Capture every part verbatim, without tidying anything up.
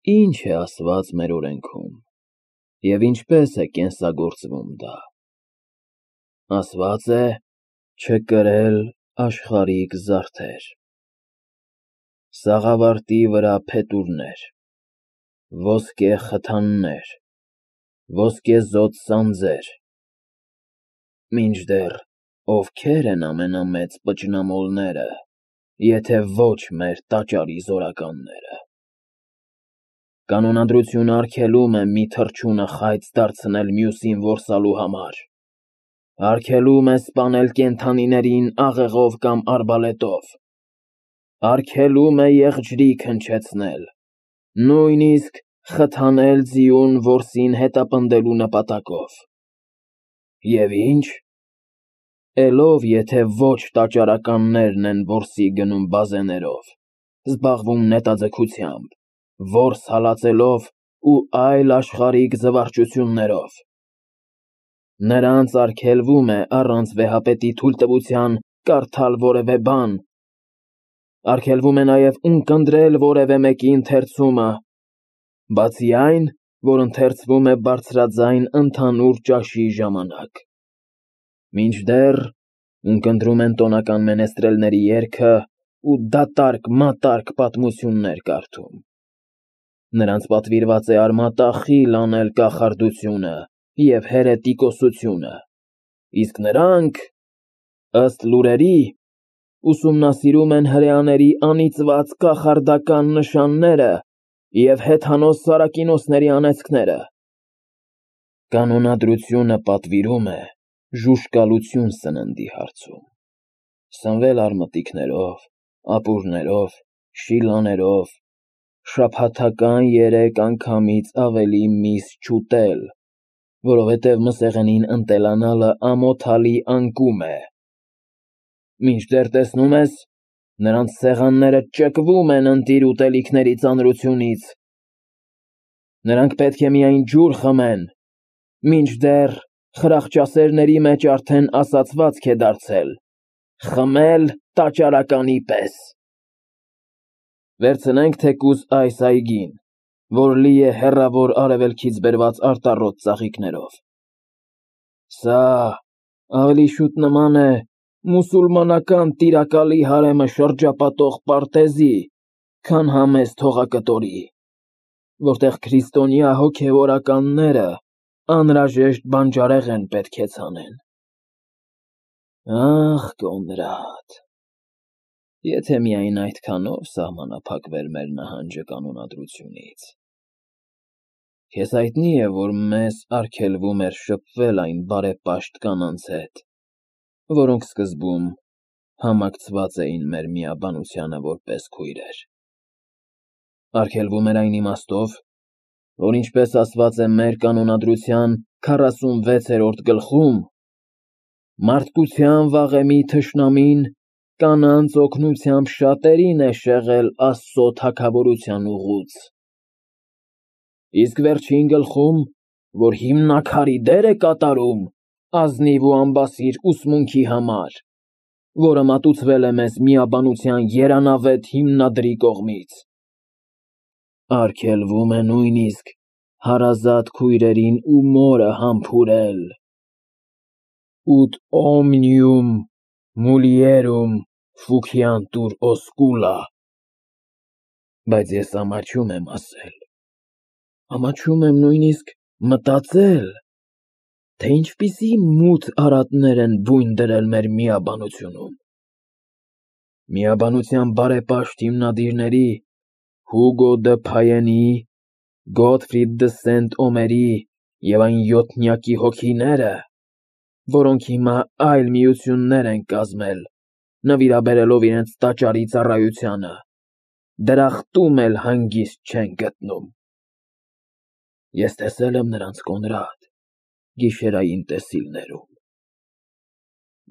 Ինչ է ասված մեր օրենքում և ինչպես է կենսագործվում դա։ Ասված է չկրել աշխարհիկ զարդեր, սաղավարտի վրա փետուրներ, ոսկե խթաններ, ոսկեզօծ սանձեր, մինչդեռ ովքե՞ր են ամենամեծ պճնամոլները, եթե ոչ մեր տաճարի զորականները։ Կանոնադրությունը արգելում է մի թռչունը խայծ դարձնել մյուսին որսալու համար, արգելում է սպանել կենդանիներին աղեղով կամ արբալետով, արգելում է եղջյրիկ հնչեցնել, նույնիսկ խթանել ձիուն որսին հետապնդելու նպատակով։ Եվ ի՞նչ, էլով եթե ոչ տաճարականներն են որսի գնում բազեներով, զբաղվում նետաձգությամբ, որս հալածելով ու այլ աշխարհիկ զվարճություններով։ Նրանց արգելվում է առանց վեհապետի թույլտվության կարդալ որևէ բան, արգելվում է նաև ունկնդրել որևէ մեկի ընթերցումը, բացի այն, որ ընթերցվում է բարձրաձայն ընդհանուր ճաշի ժամանակ, մինչդեռ ունկնդրում են տոնական մենեստրելների երգը ու դատարկ-մատարկ պատմություններ կարդում։ Նրանց պատվիրված է արմատախիլ անել կախարդությունը և հերետիկոսությունը, իսկ նրանք, ըստ լուրերի, ուսումնասիրում են հրեաների անիծված կախարդական նշանները և հեթանոս Սարակինոսների անեծքները։ Կանոնադրությունը պատվիրում է ժուժկալություն սննդի հարցում, սնվել արմատիկներով, ապուրներով, շիլաներով, շաբաթական երեք անգամից ավելի միս չուտել, որովհետև մսեղենին ընտելանալը ամոթալի անկում է, մինչդեռ տեսնում ես, նրանց սեղանները ճկվում են ընտիր ուտելիքների ծանրությունից։ Նրանք պետք է միայն ջուր խմեն, մինչդեռ խրախճասերների մեջ արդեն ասացվածք է դարձել. խմել տաճարականի պես։ Վերցնենք թեկուզ այս այգին, որ լի է հեռավոր արևելքից բերված արտառոտ ծաղիկներով։ Սա ավելի շուտ նման է մուսուլմանական տիրակալի հարեմը շրջապատող պարտեզի, քան համեստ հողակտորի, որտեղ քրիստոնյա հոգևորականները անհրաժեշտ բանջարեղեն պետք է ցանեն։ Ախ, Կոնրադ, եթե միայն այդքանով սահմանափակվեր մեր նահանջը կանոնադրությունից։ Քեզ հայտնի է, որ մեզ արգելվում էր շփվել այն բարեպաշտ կանանց հետ, որոնք սկզբում համակցված էին մեր միաբանությանը որպես քույրեր։ Արգելվում էր այն իմաստով, որ ինչպես ասված է մեր կանոնադրության քառասունվեցերորդ գլխում, մարդկության վաղեմի թշնամին կանանց օգնությամբ շատերին է շեղել Աստծո թագավորության ուղուց։ Իսկ վերջին գլխում, որ հիմնաքարի դեր է կատարում ազնիվ ու անբասիր ուսմունքի համար, որը մատուցվել է մեզ միաբանության երանավետ հիմնադրի կողմից, արգելվում է նույնիսկ հարազատ քույրերին ու մորը համբուրել, ut omnium mulierum fugiantur oscula, բայց ես ամաչում եմ ասել, ամաչում եմ նույնիսկ մտածել, թե ինչպիսի մութ արատներ են բույն դրել մեր միաբանությունում։ Միաբանության բարեպաշտ հիմնադիրների Հուգո դը Փայենի, Գոթֆրիդ դը Սենտ-Օմերի և այն յոթնյակի հոգիները, որոնք հիմա այլ միություններ են կազմել, նվիրաբերելով իրենց տաճարի ծառայությանը, դրախտում էլ հանգիստ չեն գտնում։ Ես տեսել եմ նրանց, Կոնրադ, գիշերային տեսիլներում։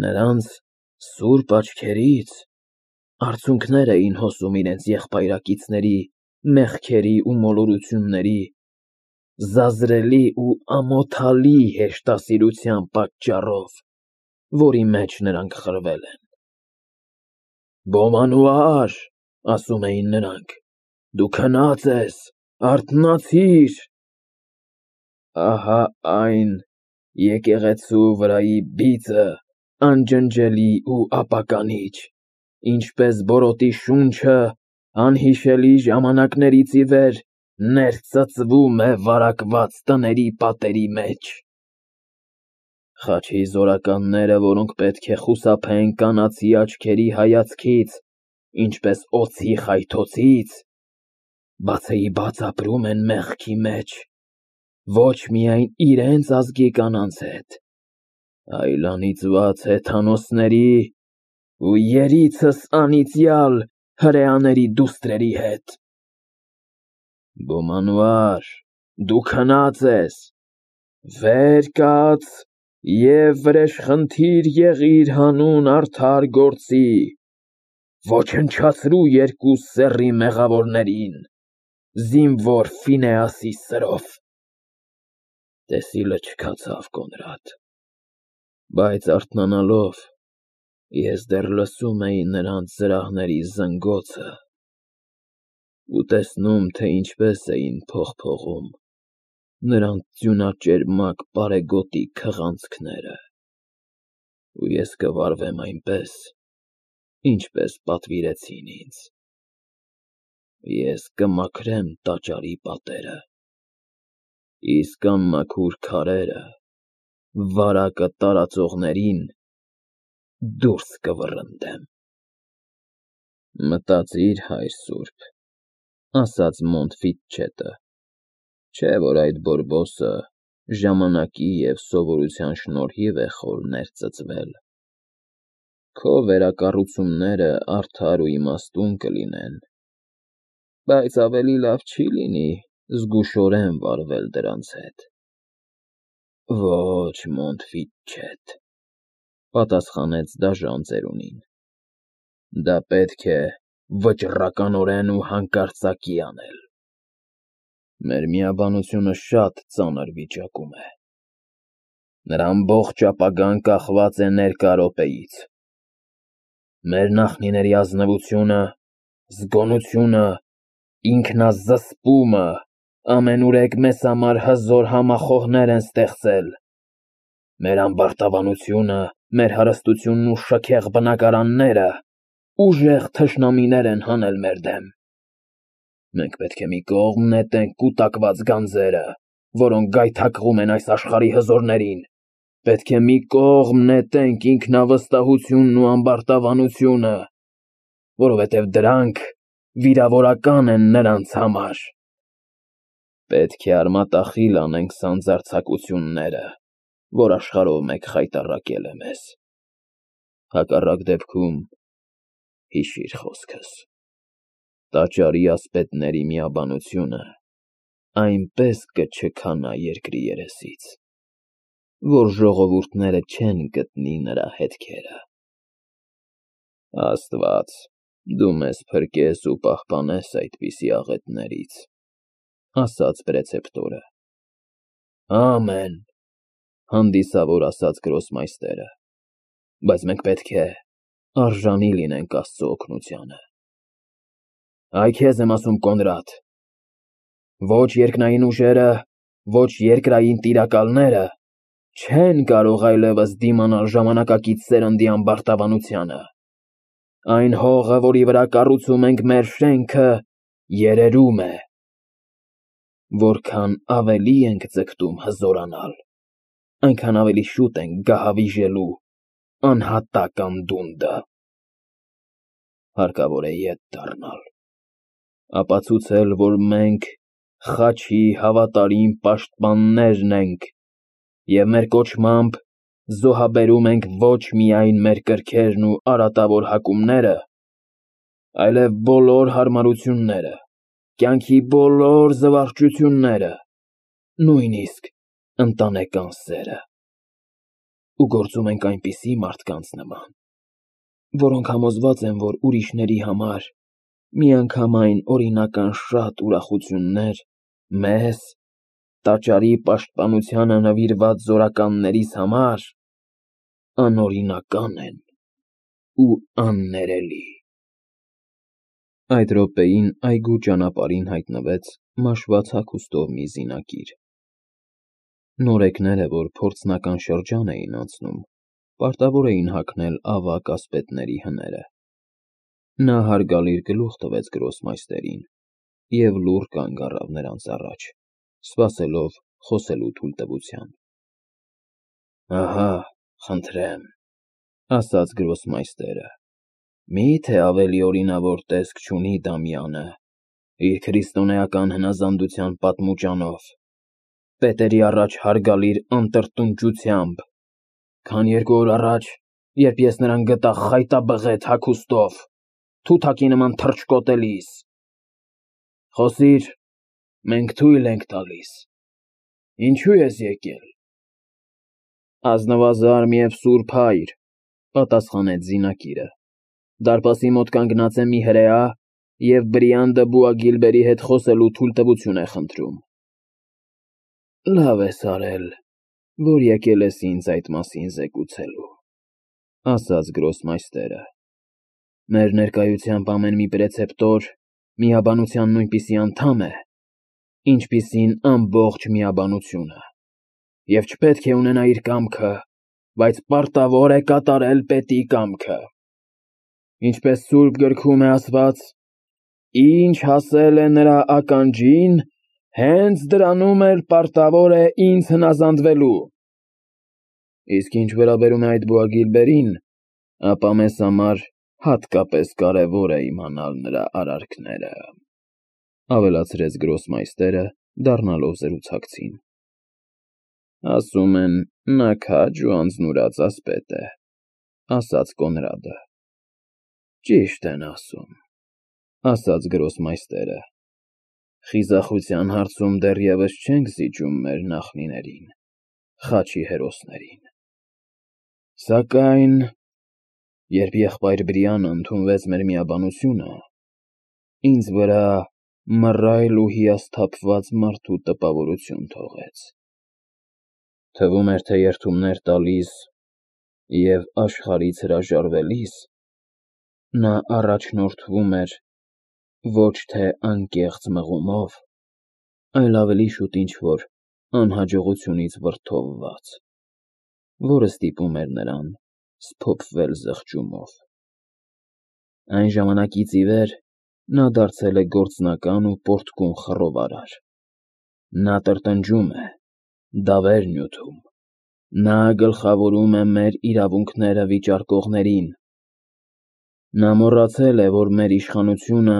Նրանց սուրբ աչքերից արցունքներ էին հոսում իրենց եղբայրակիցների մեղքերի ու մոլորությունների զազրելի ու ամոթալի հեշտասիրության պատճառով, որի մեջ նրանք խրվել են։ Բոմանուար, ասում էին նրանք, դու քնած ես, Արթնացիր։ Ահա այն եկեղեցու վրայի բիծը, անջնջելի ու ապականիչ, ինչպես բորոտի շունչը անհիշելի ժամանակներից ի վեր ներծծվում է վարակված տների պատերի մեջ։ Խաչի զորականները, որոնք պետք է խուսափեն կանացի աչքերի հայացքից, ինչպես օձի խայթոցից, բացեի բաց ապրում են մեղքի մեջ, ոչ միայն իրենց ազգի կանանց հետ, այլ անիծված հեթանոսների ու երիցս անիծյալ հրեաների դուստրերի հետ։ Բոմանվար, դու քնած ես, վեր կաց և վրեժխնդիր եղիր հանուն արդար գործի, ոչնչացրու երկու սեռի մեղավորներին, զինվոր Ֆինեասի սրով։ Տեսիլը չքացավ Կոնրադ, բայց արթնանալով ես դեռ լսում էի նրանց զրահների զնգոցը ու տեսնում, թե ինչպես էին փողփողում նրանց ձյունաճերմակ պարեգոտի քղանցքները, ու ես կվարվեմ այնպես, ինչպես պատվիրեցին ինձ, ես կմաքրեմ տաճարի պատերը, իսկ անմաքուր քարերը վարակը տարածողներին դուրս կվռնդեմ։ Մտածիր, հայր սուրբ, ասաց Մոնտֆիտչետը, չէ՞ որ այդ Բորբոսը ժամանակի և սովորության շնորհիվ է խոր ներծծվել, քո վերակառուցումները արդար ու իմաստուն կլինեն, բայց ավելի լավ չի լինի զգուշորեն վարվել դրանց հետ։ Ոչ, Մոնտֆիտչետ, պատասխանեց դաժան ծերունին, դա պետք է վճռականորեն ու հանկարծակի անել։ Մեր միաբանությունը շատ ծանր վիճակում է։ Նրա ամբողջ ապագան կախված է ներկա րոպեից։ Մեր նախնիների ազնվությունը, զգոնությունը, ինքնազսպումը ամենուրեք մեզ համար հզոր համախոհներ են ստեղծել, մեր ամբարտավանությունը, մեր հարստությունն ու շքեղ բնակարանները ուժեղ թշնամիներ են հանել մեր դեմ։ Մենք պետք է մի կողմ նետենք կուտակված գանձերը, որոնք գայթակղում են այս աշխարհի հզորներին, պետք է մի կողմ նետենք ինքնավստահությունն ու ամբարտավանությունը, որովհետև դրանք վիրավորական են նրանց համար։ Պետք է արմատախիլ անենք սանձարձակությունները, որ աշխարհով մեկ խայտառակել է մեզ։ Հակառակ դեպքում հիշիր խոսքս, տաճարի ասպետների միաբանությունը այնպես կչքանա երկրի երեսից, որ ժողովուրդները չեն գտնի նրա հետքերը։ Աստված, դու մեզ փրկես ու պահպանես այդպիսի աղետներից, ասաց պրեցեպտորը։ Ամեն, հանդիսավոր ասաց գրոսմայստերը, բայց մենք պետք է արժանի լինենք Աստծո օգնությանը։ Այ քեզ եմ ասում, Կոնրադ, ոչ երկնային ուժերը, ոչ երկրային տիրակալները չեն կարող այլևս դիմանալ ժամանակակից սերնդի ամբարտավանությանը։ Այն հողը, որի վրա կառուցում ենք մեր շենքը, երերում է։ Որքան ավելի ենք ձգտում հզորանալ, այնքան ավելի շուտ ենք գահավիժելու անհատակ անդունդը։ Հարկավոր է ետ դառնալ, ապացուցել, որ մենք խաչի հավատարիմ պաշտպաններն ենք և մեր կոչմամբ զոհաբերում ենք ոչ միայն մեր կրքերն ու արատավոր հակումները, այլև բոլոր հարմարությունները, կյանքի բոլոր զվարճությունները, նույնիսկ ընտանեկան սերը, ու գործում ենք այնպիսի մարդկանց նման, որոնք համոզված են, որ ուրիշների համար միանգամայն օրինական շատ ուրախություններ մեզ, տաճարի պաշտպանությանը նվիրված զորականներիս համար անօրինական են ու աններելի։ Այդ րոպեին այգու ճանապարհին հայտնվեց մաշված հագուստով մի զինակիր։ Նորեկները, որ փորձնական շրջան էին անցնում, պարտավոր էին հագնել ավագ ասպետների հները։ Նա հարգալից գլուխ տվեց գրոսմայստերին և լուռ կանգ առավ նրանց առաջ, սպասելով խոսելու թույլտվության։ «Ահա, խնդրեմ,֊ ասաց գրոսմայստերը,֊ մի՞թե ավելի օրինավոր տեսք չունի Դամյանը իր քրիստոնեական հնազանդության պատմուճանով, պետերի առաջ հարգալիր անտրտունջությամբ, քան երկու օր առաջ, երբ ես նրան գտա խայտաբղետ հագուստով, թութակի նման թռչկոտելիս։ Խոսիր, մենք թույլ ենք տալիս։ Ինչու ես եկել»։ «Ազնվազարմ և սուրբ հայր,֊ պատասխանեց զինակիրը,֊ դարպասի մոտ կանգնած է մի հրեա և Բրիանդը Բուագիլբերի հետ խոսելու թույլտվություն է խնդրում»։ «Լավ ես արել, որ եկել ես ինձ այդ մասին զեկուցելու,֊ ասաց գրոսմայստերը։ Մեր ներկայությամբ ամեն մի պրեցեպտոր միաբանության նույնպիսի անդամ է, ինչպիսին ամբողջ միաբանությունը, և չպետք է ունենա իր կամքը, բայց պարտավոր է կատարել պետի կամքը։ Ինչպես սուրբ գրքում է ասված. «Ինչ հասել է նրա ականջին, հենց դրանում էլ պարտավոր է ինձ հնազանդվելու»։ Իսկ ինչ վերաբերում է այդ Բուագիլբերին, ապա մեզ համար հատկապես կարևոր է իմանալ նրա արարքները,֊ ավելացրեց գրոսմայստերը, դառնալով զրուցակցին։ «Ասում են, նա քաջ ու անձնուրաց ասպետ է,֊ ասաց Կոնրադը։ Ճիշտ են ասում,֊ ասաց գրոսմայստերը։ Խիզախության հարցում դեռևս չենք զիջում մեր նախնիներին, Խաչի հերոսներին։ Սակայն, երբ եղբայր Բրիանը ընդունվեց մեր միաբանությունը, ինձ վրա մռայլ ու հիասթափված մարդու տպավորություն թողեց։ Թվում էր, թե երդումներ տալիս և աշխարհից հրաժարվելիս նա առաջնորդվում էր ոչ թե անկեղծ մղումով, այլ ավելի շուտ ինչ-որ անհաջողությունից վրդովված, որը ստիպում էր նրան սփոփվել զղջումով։ Այն ժամանակից ի վեր նա դարձել է գործնական ու պոռթկուն խռովարար։ Նա տրտնջում է, դավեր նյութում, նա գլխավորում է մեր իրավունքները վիճարկողներին։ Նա մոռացել է, որ մեր իշխանությունը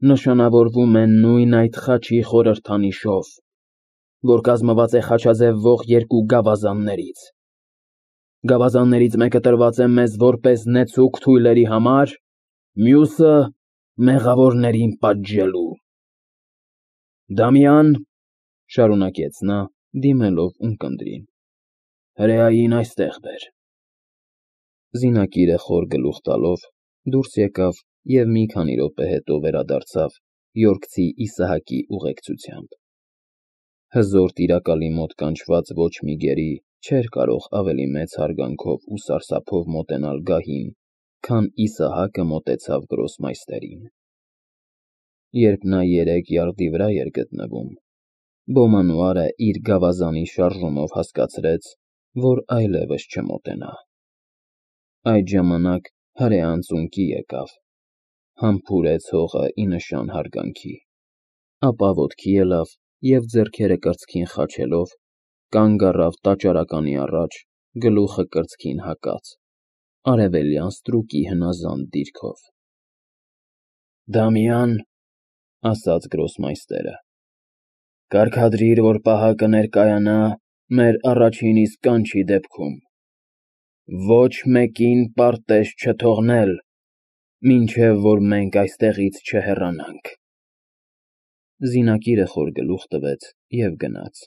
նշանավորվում է նույն այդ Խաչի խորհրդանիշով, որ կազմված է խաչաձև ողջ երկու գավազաններից։ Գավազաններից մեկը տրված է մեզ որպես նեցուկ թույլերի համար, մյուսը մեղավորներին պատժելու։ Դամյան,֊ շարունակեց նա, դիմելով ունկնդրին,֊ հրեային այստեղ բեր։ Զինակիրը խոր գլուխ տալով դուրս եկավ և մի քանի րոպե հետո վերադարձավ Յորքցի Իսահակի ուղեկցությամբ։ Հզոր տիրակալի մոտ կանչված ոչ մի գերի չէր կարող ավելի մեծ հարգանքով ու սարսափով մոտենալ գահին, քան Իսահակը մոտեցավ գրոսմայստերին։ Երբ նա երեք յարդի վրա էր գտնվում, Բոմանուարը իր գավազանի շարժումով հասկացրեց, որ այլևս չմոտենա։ Այդ ժամանակ հրեան ծունկի եկավ, համբուրեց հողը ի նշան հարգանքի, ապա ոտքի ելավ և ձեռքերը կրծքին խաչելով կանգ առավ տաճարականի առաջ, գլուխը կրծքին հակած, արևելյան ստրուկի հնազանդ դիրքով։ Դամյան,֊ ասաց գրոսմայստերը,֊ կարգադրիր, որ պահակը ներկայանա մեր առաջին իսկ կանչի դեպքում, ոչ մեկին պարտեզ չթողնել, մինչև որ մենք այստեղից չհեռանանք։ Զինակիրը խոր գլուխ տվեց և գնաց։